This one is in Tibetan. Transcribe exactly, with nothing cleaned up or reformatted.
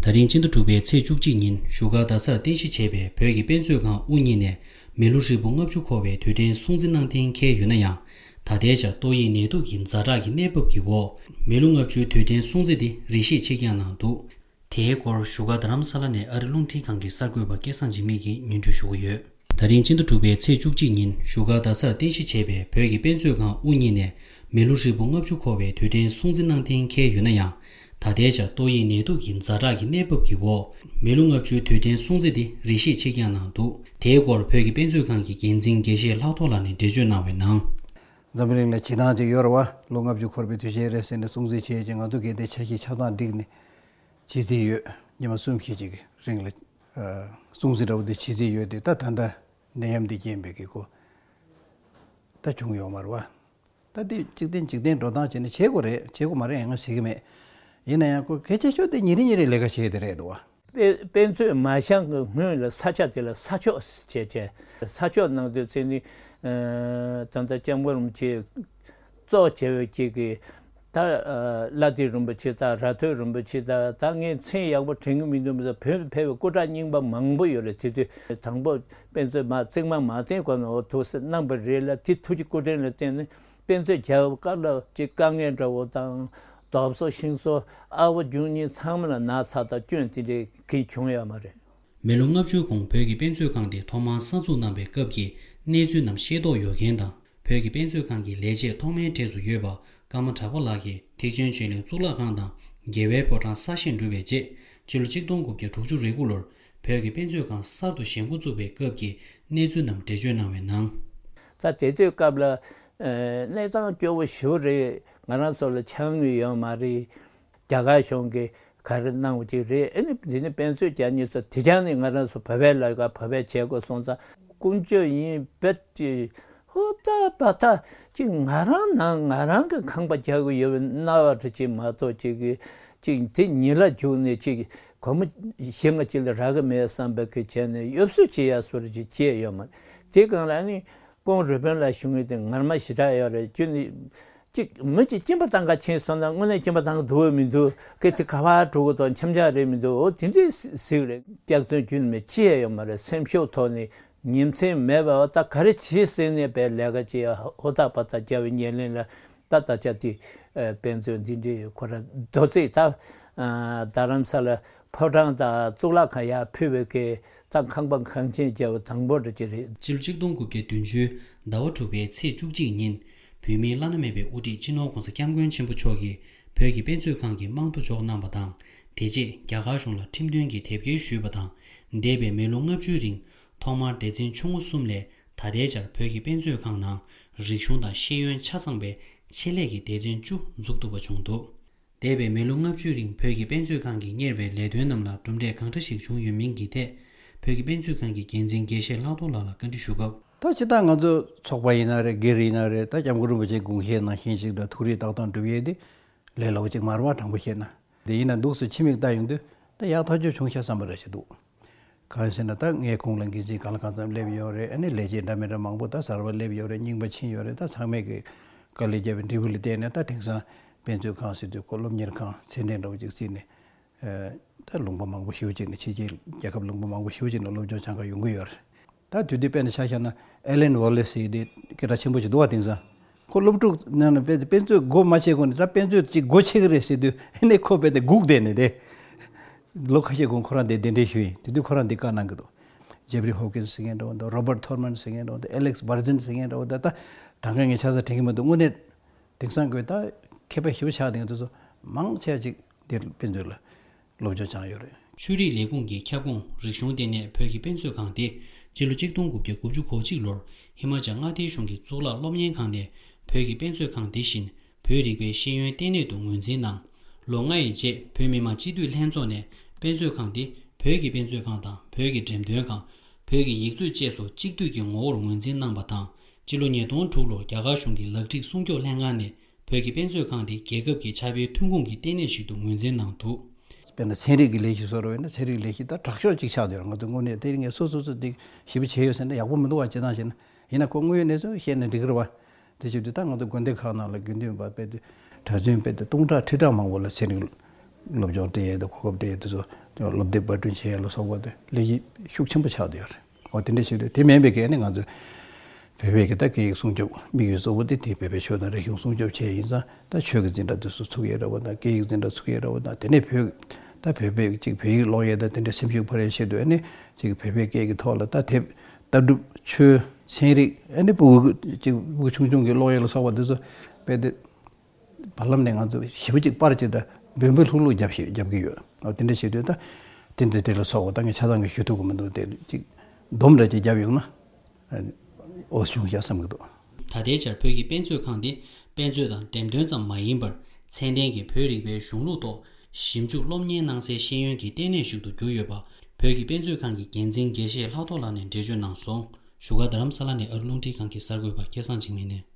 ད་རིང་སྤྱི་ཟླ་དྲུག་པའི་ཚེས་བཅུ་གཅིག་ཉིན་བཞུགས་སྒར་རྡ་སར་རྟེན་གཞི་བྱས་པའི་བོད་ཀྱི་དཔེ་མཛོད་ཁང་དབུ་བརྙེས་ནས་མི་ལོ་ཧྲིལ་པོ་ལྔ་བཅུ་འཁོར་བའི་དུས་དྲན་སྲུང་བརྩི་གནང་གཏན་འཁེལ་ཡོད་ན་ཡང་། ད་ལྟའི་ཆར་ཏོག་དབྱིབས་ནད་དུག་གི་ཛ་དྲག་གི་གནས་བབ་ཀྱི་འོག་མི་ལོ་ལྔ་བཅུའི་དུས་དྲན་སྲུང་བརྩི་དེ་རེ་ཞིག་ཕྱིར་འགྱངས་གནང་འདུག་དེའི་སྐོར་བཞུགས་སྒར་རྡ་རམ་ས་ལ་ནས་ཨ་རི་རླུང་འཕྲིན་ཁང་གི་གསར་འགོད་པ་སྐལ་བཟང་འཇིགས་མེད་ཀྱིས་སྙན་སྒྲོན་ཞུ་གི་ཡོད། ད་རིང་སྤྱི་ཟླ་དྲུག་པའི་ཚེས་བཅུ་གཅིག་ཉིན་བཞུགས་སྒར་རྡ་སར་རྟེན་གཞི་བྱས་པའི་བོད་ཀྱི་དཔེ་མཛོད་ཁང་དབུ་བརྙེས་ནས་མི་ལོ་ཧྲིལ་པོ་ལྔ་བཅུ་འཁོར་བའི་དུས་དྲན་སྲུང་བརྩི་གནང་གཏན་འཁེལ་ཡོད་ན་ཡང་། ད་ལྟའི་ཆར་ཏོག་དབྱིབས་ནད་དུག་གི་ཛ་དྲག་གི་གནས་བབ་ཀྱི་འོག་མི་ལོ་ལྔ་བཅུའི་དུས་དྲན་སྲུང་བརྩི་དེ་རེ་ཞིག་ཕྱིར་འགྱངས་གནང་འདུག་དེའི་སྐོར་བོད་ཀྱི་དཔེ་མཛོད་ཁང་གི་འགན་འཛིན་དགེ་བཤེས་ལྷག་རྡོར་ལགས་ནས་འགྲེལ་བརྗོད་གནང་བའི་ནང་། འཛམ་བུ་གླིང་ལ་བྱེད་སྟངས་ཅིག་ཡོད་རེད་བ། ལོ་ལྔ་བཅུ་འཁོར་བའི་དུས་ཆེན་རེད་ཟེར་ནས་སྲུང་བརྩི་བྱས་ཀྱི་ང་ཚོ་གལ་ཏེ་འཆར་གཞི་ཆ་ཚང་བསྒྲིགས་ནས་བྱེད་རྩིས་ཡོད། ཉི་མ་གསུམ་བཞི་ཅིག་གི་རིང་ལ་ཨ་སྲུང་བརྩི་འདྲ་བོ་དེ་བྱེད་རྩིས་ཡོད་དེ། ད་ད་ལྟ་ནད་ཡམས་འདི་རྐྱེན་པས་ཀྱི་ཁོ་ད་བྱུང་ཡོད་མ་རེད་བ། ད་འདི་འཇིག་རྟེན་འཇིག་རྟེན་འགྲོ་སྟངས་བྱས་ནས་བྱེད་དགོས་རེད། བྱེད་དགོས་མ་རེད་ཡང་ང་ཟེར་གྱི་མེད། ཡིན་ན་ཡང་ཁོ་གལ་ཆེ་ཤོས་དེ་ཉིན་རེ་ཉིན་རེ་ལས་ཀ་བྱེད་ཀྱི་དེ་རེད་འདུག་བ། དཔེ་དཔེ་མཛོད་མ་བཞེངས་ཀྱི་སྔོན་ལ་ས་ཆ་དེ་ལ་ས་ཆོག་བྱས་བྱས། ས་ཆོག་གནང་དུས་ཚེ་ནི་ད་ལྟ་སྐྱབས་མགོན་རིན་པོ་ཆེ་གཙོ་བྱས་པའི་གཅིག་གི་ད་ལྷ་ལྡན་རིན་པོ་ཆེ་དང་ར་ཐོད་རིན་པོ་ཆེ་དང་། ད་ངས་མཚན་ཡག་པོ་དྲན་གྱི་མི་འདུག་མི་ཚོ་བོད་ཕེབས་པའི་སྐུ་དྲག་རྙིང་པ་མང་པོ་ཡོད་རེད། དེ་དུས་དང་པོ་དཔེ་མཛོད་མ་བརྩིགས་མ་མ་བརྩིགས་གོང་ནས་འོ་ཐུགས་སེམས་གནང་པ་རེད་ལ། དེ་ཐུགས་ཀྱི་སྐུ་དྲིན་ལ་བརྟེན་ནས་དཔེ་མཛོད་རྒྱག་སྐབས་ལ་ཅིག་དཀའ་ངལ་འདྲ་བོ་དང་། རྡོབ་གསོག་ཤིང་གསོག་ཨ་བོ་རྒྱུ་གཉིས་ཚང་མ་ལ་ན་ཚ་དང་སྐྱོན་དེ་འདྲའི་གང་བྱུང་ཡོད་མ་རེད། མི་ལོ་ལྔ་བཅུའི་གོང་བོད་ཀྱི་དཔེ་མཛོད་ཁང་དེ་ཐོག་མར་གསར་འཛུགས་གནང་པའི་སྐབས་ཀྱི་གནས་ཚུལ་རྣམས་ཤེས་རྟོགས་ཡོད་མཁན་དང་། བོད་ཀྱི་དཔེ་མཛོད་ཁང་གི་ལས་བྱེད་ཐོག་མའི་གྲས་སུ་ཡོད་པ་ཀརྨ་གྲགས་པ་ལགས་ཀྱིས་ཐེག་ཆེན་ཆོས་གླིང་གཙུག་ལག་ཁང་དང་རྒྱལ་བའི་ཕོ་བྲང་གསར་བཞེངས་གྲུབ་པའི་རྗེས་སྤྱི་ལོ་གཅིག་སྟོང་དགུ་བརྒྱ་དྲུག་ཅུ་རེ་དགུ་ལོར་བོད་ཀྱི་དཔེ་མཛོད་ཁང་གསར་དུ་བཞེངས་འགོ་བཙུགས་པའི་སྐབས་ཀྱི་གནས་ཚུལ་རྣམས་འགྲེལ་བརྗོད་གནང་བའི་ནང་། ད་དེ་དུས་སྐབས་ལ་ཨ་གནས་སྟངས་སྐྱོ་བོ་ཞེ་པོ་རེད། ང་རང་ཚོ་ལ་ཕྱག་དངུལ་ཡོད་མ་རེད། རྒྱ་གར་གཞུང་གིས་ག་རེ་གནང་བ་ཅིག་རེད། ཨ་ནི་འདི་ནི་དཔེ་མཛོད་རྒྱག་མཁན་ཚོ་དེ་ཅང་ནི་ང་རང་ཚོ་བོད་པའི་ལས་ཀ་བོད་པས་བྱེད་དགོས་སོང་ཙང་ཀུན་སྤྱོད་ཡིན་བེད་ཀྱི་ཧུར་ཐག་འབད་ཐག་ཅིག་ང་རང་ནང་ང་རང་གི་ཁང་པ་རྒྱག་གི་ཡོད་པའི་སྣང་བ་འདྲ་ཅིག་མ་གཏོགས་ཅིག་གི་ཅིག་དེ་ཉིད་ལ་རྒྱུགས་ནས་ཅིག་སྒོར་མོ་གཞན་ང་ཅིག་ལ་རག་གི་མེད་བསམ་པའི་གི་བྱས་ནས་གཡོ་ཟོལ་བྱེད་ཡ་བཟོ་འདྲ་ཅིག་བྱས་ཡོད་མ་རེད། དེ་སྒང་ལ་ནི་ཀོང་རུས་སྦལ་ལ་ཞུ་ངེས་དེ་ངར་མ་ཞེ་དྲག་ཡོད་རེད། ཁྱོད་ནི་ཅིག་མི་ཅིག་སྐྱིན་པ་བཏང་ག་ཕྱིན་སོང་ན་དངོས་གནས་སྐྱིན་པ་བཏང་གི་འདུག་བས་མི་འདུག་གི་དེ་ག་བ་འགྲོ་གི་དང་འཆམ་འཆམ་རེད་མི་འདུག་འོ་དེ་འདྲའི་གཟིགས་རེད། སྐྱག་རྫུན་རྒྱུན་མི་ཅི་ཡང་ཡོད་མ་རེད། སེམས་ཤུགས་ཐོག་ནས་ཉིན་མཚན་མེད་པ་འོ་ད་ག་རེ་བྱེད་ཟེར་ནས་པའི་ལས་ཀ་ཅི་ཡང་ཧོ་ཐག་པ་ཐག་རྒྱབ་པའི་ཉེར་ལེན་ལ་ད་ད་ཆ་དེ་དཔེ་མཛོད་འདི་འདྲའི་ཁོ་ར་རྡོ་རྩིག་ད་རྡ་རམ་ས་ལ་ཕོ་བྲང་དང་གཙུག་ལག་ཁང་ཡར་ཕུལ་བའི་གི་ད་ཁང་པ་ཁང་ཆེན་རྒྱབ་པ་དང་པོ་འདྲ་ཅི་རེད། སྤྱི་ལོ་གཅིག་སྟོང་དགུ་བརྒྱ་བདུན་ཅུ་ཟླ་བ་དྲུག་པའི་ཚེས་བཅུ་གཅིག་ཉིན། བོད་མིའི་བླ་ན་མེད་པའི་དབུ་ཁྲིད་སྤྱི་ནོར་༸གོང་ས་༸སྐྱབས་མགོན་ཆེན་པོ་མཆོག་གིས་བོད་ཀྱི་དཔེ་མཛོད་ཁང་གི་རྨང་རྡོ་འཇོག་གནང་བ་དང་། དེ་རྗེས་རྒྱ་གར་གཞུང་ལ་ཁྲིམས་མཐུན་གྱི་དེབ་སྐྱེལ་ཞུས་པ་དང་། འདས་པའི་མི་ལོ་ལྔ་བཅུའི་རིང་ཐོག་མར་སྡེ་ཚན་ཆུང་ངུ་གསུམ་ལས་ད་ལྟའི་ཆར་བོད་ཀྱི་དཔེ་མཛོད་ཁང་ནང་རིག་གཞུང་དང་ཤེས་ཡོན་ཆ་ཚང་པའི་ཆེད་ལས་ཀྱི་སྡེ་ཚན་བཅུ་འཛུགས་ཐུབ་པ་བྱུང་འདུག་འདས་པའི་མི་ལོ་ལྔ་བཅུའི་རིང་བོད་ཀྱི་དཔེ་མཛོད་ཁང་གིས་གཉེར་བའི་ལས་དོན་རྣམས་ལ་གྲུབ་འབྲས་གང་འདྲ་ཞིག་བྱུང་ཡོད་མིན་གྱི་ཐད། བོད་ཀྱི་དཔེ་མཛོད་ཁང་གི་འགན་འཛིན་དགེ་བཤེས་ལྷག་རྡོར་ལགས་ལ་བཀའ་འདྲི་ཞུ་སྐབས། ད་སྤྱིར་བཏང་ང་ཚོ་ཚོགས་པ་ཡིན་ན་རེད། སྒེར་ཡིན་ན་རེད། ད་སྐྱབས་མགོན་རིན་པོ་ཆེའི་དགོངས་བཞེད་ནང་བཞིན་ཞིག་ལ་ཐུགས་རེ་ཏག་ཏག་འགྲུབ་ཡས་དེ་ལས་སླ་པོ་ཅིག་མ་རེད་བ། དྲང་པོ་བཤད་ན། དེ་ཡིན་ན་འདུག་སེ་ཕྱི་མིག་ལྟ་ཡོང་དུས་ད་ཡག་ཐག་ཆོད་བྱུང་ཤག་བསམ་པ་འདྲ་ཞིག་འདུག་གང་ཡིན་ཟེར་ན་ད་ངའི་ཁོངས་ལ་འགན་འཛིན་གང་ལ་གང་འཚམ་སླེབས་ཡོད་རེད། ཨ་ནི་ལས་བྱེད་འདྲ་མི་འདྲ་མང་པོ་ད་གསར་པ་སླེབས་ཡོད་རེད། རྙིང་པ་ཕྱིན་ཡོད་རེད། ད་ཚང་མས་ཀྱི་དཀའ་ལས་བརྒྱབ་པའི་འབྲས་བུ་ལ་བརྟེན་ནས་ད་དེང་སང་དཔེ་མཛོད་ཁང་ཟེར་དུས་ཁོ་སློབ་གཉེར་ཁང་ཚད་ལྡན་འདྲ་བོ་ཅིག་བརྩིས་ནས། ཨ་ད་ལུང་པ་མང་པོ་ཞེ་པོ་ཅིག་ནས་ཕྱི་རྒྱལ་རྒྱལ་ཁབ་ལུང་པ་མང་པོ་ཞེ་པོ་ཅིག་ནས་སློབ་སྦྱོང་སྦྱང་ག་ཡོང་གི་ཡོད་རེད། ད་དུས་དུས་དཔེར་ན་ཆ་བཞག་ན་ཨེ་ལན་ཝོ་ལེ་སི་ཟེར་དེ་སྐད་གྲགས་ཆེན་པོ་ཞིག་འདུག་བ། དེང་སང་ཁོ་སློབ་ཕྲུག་ནང་ནས་དཔེ་དཔེ་མཛོད་སྒོ་མ་ཕྱེ་གོང་ནས་ད་དཔེ་མཛོད་ཅིག་སྒོ་ཕྱེ་གི་རེད་ཟེར་དུས་ཨ་ནི་ཁོ་དཔེ་དེ་སྒུག་བསྡད་ནས་དེ་ལོ་ཁ་ཤས་གོང་ཁོ་རང་དེ་གདན་འདྲེན་ཞུས་ཡིན། དེ་དུས་ཁོ་རང་དེ་བཀའ་གནང་གི་འདུག་ཇེ་ཕ་རི་ཧོབ་ཀིན་སི་ཟེར་མཁན་འདྲ་བོ་འདུག་རོ་བར་ཐོར་མན་ཟེར་མཁན་འདྲ་བོ་འདུག་ཨེ་ལེག་སི་བར་ཛིན་ཟེར་མཁན་འདྲ་བོ་འདུག་ད་དྲང་གནས་ངས་ཆ་ཚང་དྲན་གྱི་མི་འདུག་དངོས་གནས་དེང་སང་གི་ད་མཁས་པ་ཞེ་པོ་ཆགས་བསྡད་མཁན་དེ་ཚོ་མང་ཆེ་ཅིག་འདིར་དཔེ་མཛོད་ལ་སློབ་སྦྱོང་སྦྱངས་ཡོད་རེད། ཆོས་རིག་ལས་ཁུངས་ཀྱི་ཁྱབ་ཁོངས་རིག་གཞུང་ལྟེ་གནས་བོད་ཀྱི་དཔེ་མཛོད་ཁང་དེ་སྤྱི་ལོ་གཅིག་སྟོང་དགུ་བརྒྱ་དགུ་བཅུ་གོ་གཅིག་ལོར་ཧི་མ་ཅལ་མངའ་སྡེའི་གཞུང་གི་གཙུག་ལག་སློབ་གཉེར་ཁང་ནས་བོད་ཀྱི་དཔེ་མཛོད་ཁང་དེ་བཞིན་བོད་རིག་པའི་ཤེས་ཡོན་ལྟེ་གནས་དུ་ངོས་འཛིན་གནང་། ལོ་ལྔ་ཡི་རྗེས་བོད་མི་མང་སྤྱི་འཐུས་ལྷན་ཚོགས་ནས་དཔེ་མཛོད་ཁང་དེ་བོད་ཀྱི་དཔེ་མཛོད་ཁང་དང་བོད་ཀྱི་འགྲེམས་སྟོན་ཁང་། བོད་ཀྱི་ཡིག་མཛོད་བཅས་སུ་གཅིག་སྡུད་ཀྱི་ངོ་བོར་ངོས་འཛིན་གནང་པ་དང་། སྤྱི་ལོ་ཉིས་སྟོང་དྲུག་ལོར་རྒྱ་གར་གཞུང་གི་ལག་བྲིས་སྲུང་སྐྱོབ་ལྷན་ཁང་ནས་བོད་ཀྱི་དཔེ་མཛོད་ཁང་དེ་རྒྱལ་ཁབ་ཀྱི་ཕྱག་དཔེའི་ཐོན་ཁུངས་ཀྱི་ལྟེ་གནས་ཤིག་ཏུ་ངོས་འཛིན་གནང་འདུག་དཔེར་ན་ཚན་རིག་གི་ལས་གཞི་བཟོ་འདྲ་བས་ན་ཚན་རིག་ལས་གཞི་ད་དྲག་ཤོས་ཅིག་ཆགས་བསྡད་ཡོད་རེད། ང་ཚོ་དངོས་གནས་དེ་རིང་ངས་སོ་སོ་སོ་དེ་ཞིབ་པོ་བྱས་ཡོད་ཟེར་ན་ཡག་པོ་མི་འདུག་བ། སྤྱིར་བཏང་བཤད་ན། ཡིན་ན་ཁོ་དངོས་ཡོད་གནས་ཚུལ་བཤད་ན་འགྲིག་གི་རེད་བ། དེ་བྱེད་དུས་ད་ང་ཚོ་དགོན་སྡེ་ཁག་ནང་ལ་དགེ་འདུན་པ་དཔེ་དེ་གྲྭ་བཙུན་དཔེ་དེ་སྟོང་ཕྲག་ཁྲི་ཕྲག་མང་པོ་ལ་ཚན་རིག་སློབ་སྦྱོང་སྤྲད་ཡས་དང་གོ་སྐབས་སྤྲད་ཡས་དེ་ཚོ་ སློབ་དེབ་པར་སྐྲུན་བྱེད་ཡ་ལ་སོགས་པ་དེ་ལས་གཞི་ཤུགས་ཆེན་པོ་ཆགས་བསྡད་ཡོད་རེད། འོ་དེ་འདྲ་བྱེད་དུས་དེ་མིན་པའི་གལ་ནི་ང་ཚོས་བོད་པའི་གི་ད་སྐད་ཡིག་སྲུང་སྐྱོབ་དམིགས་ཡུལ་གཙོ་བོ་དེ་དེ་བོད་པའི་ཆོས་དང་རིག་གཞུང་སྲུང་སྐྱོབ་བྱས་ཡིན་ཙང་ད་ཆོས་ཀྱི་འཛིན་གྲྭ་དེ་ཚོ་ཚུགས་ཡས་རེད་བ་དང་སྐད་ཡིག་འཛིན་གྲྭ་ཚུགས་ཡས་རེད་བ་དང་དེ་ནས་བོད་ད་བོད་པའི་ཅིག་བོད་ཡིག་ཀློག་ཡས་དང་དེ་འདྲ་སེམས་ཤུགས་འཕར་ཡས་ཆེད་དུ་ཨ་ནི་ཅིག་བོད་པའི་སྐད་ཀྱི་ཐོག་ལ་ད་དེབ་ལྟ་གྲུབ་ཆོས་ཚན་རིག་ཨ་ནི་ཕྲུ་གུ་ཅིག་ཕྲུ་གུ་ཆུང་ཆུང་གི་ཀློག་ཡས་ལ་སོགས་པ་དེ་ཚོ་དཔེ་དེ། བར་ལམ་ནས་ང་ཚོ་ཞེ་པོ་ཅིག་པར་ཅིག་དང་འབོལ་འབོལ་ལྷུག་ལྷུག་རྒྱབ་ཤིག་རྒྱབ་ཀྱི་ཡོད། འོ་དེ་འདྲ་བྱེད་དུས་ད་དེ་འདྲ་དེ་ལ་སོགས་པ་ད་ངས་ཆ་ཚང་གི་ཞུ་ཐུབ་ཀྱི་མི་འདུག་དེ་ཅིག་སྡོམ་འདྲ་ཅིག་རྒྱབ་ཡོང་ན་འོ་བྱུང་ཤག་བསམ་གྱི་འདུག་ད་ལྟའི་ཆར་བོད་ཀྱི་དཔེ་མཛོད་ཁང་འདི་དཔེ་མཛོད་དང་འགྲེམས་སྟོན་ཙམ་མ་ཡིན་པར་ཚད་ལྡན་གྱི་བོད་རིག་པའི་གཞུང་ལུགས་ཐོག་ཞིབ་འཇུག་སློབ་གཉེར་གནང་སའི་ཤེས་ཡོན་གྱི་ལྟེ་གནས་ཤིག་ཏུ་གྱུར་ཡོད་པ་བོད་ཀྱི་དཔེ་མཛོད་ཁང་གི་འགན་འཛིན་དགེ་བཤེས་ལྷག་རྡོར་ལགས་ནས་འགྲེལ་བརྗོད་གནང་སོང་། བཞུགས་སྒར་རྡ་རམ་ས་ལ་ནས་ཨ་རི་རླུང་འཕྲིན་ཁང་གི་གསར་འགོད་པ་སྐལ་བཟང་འཇིགས་མེད་ནས།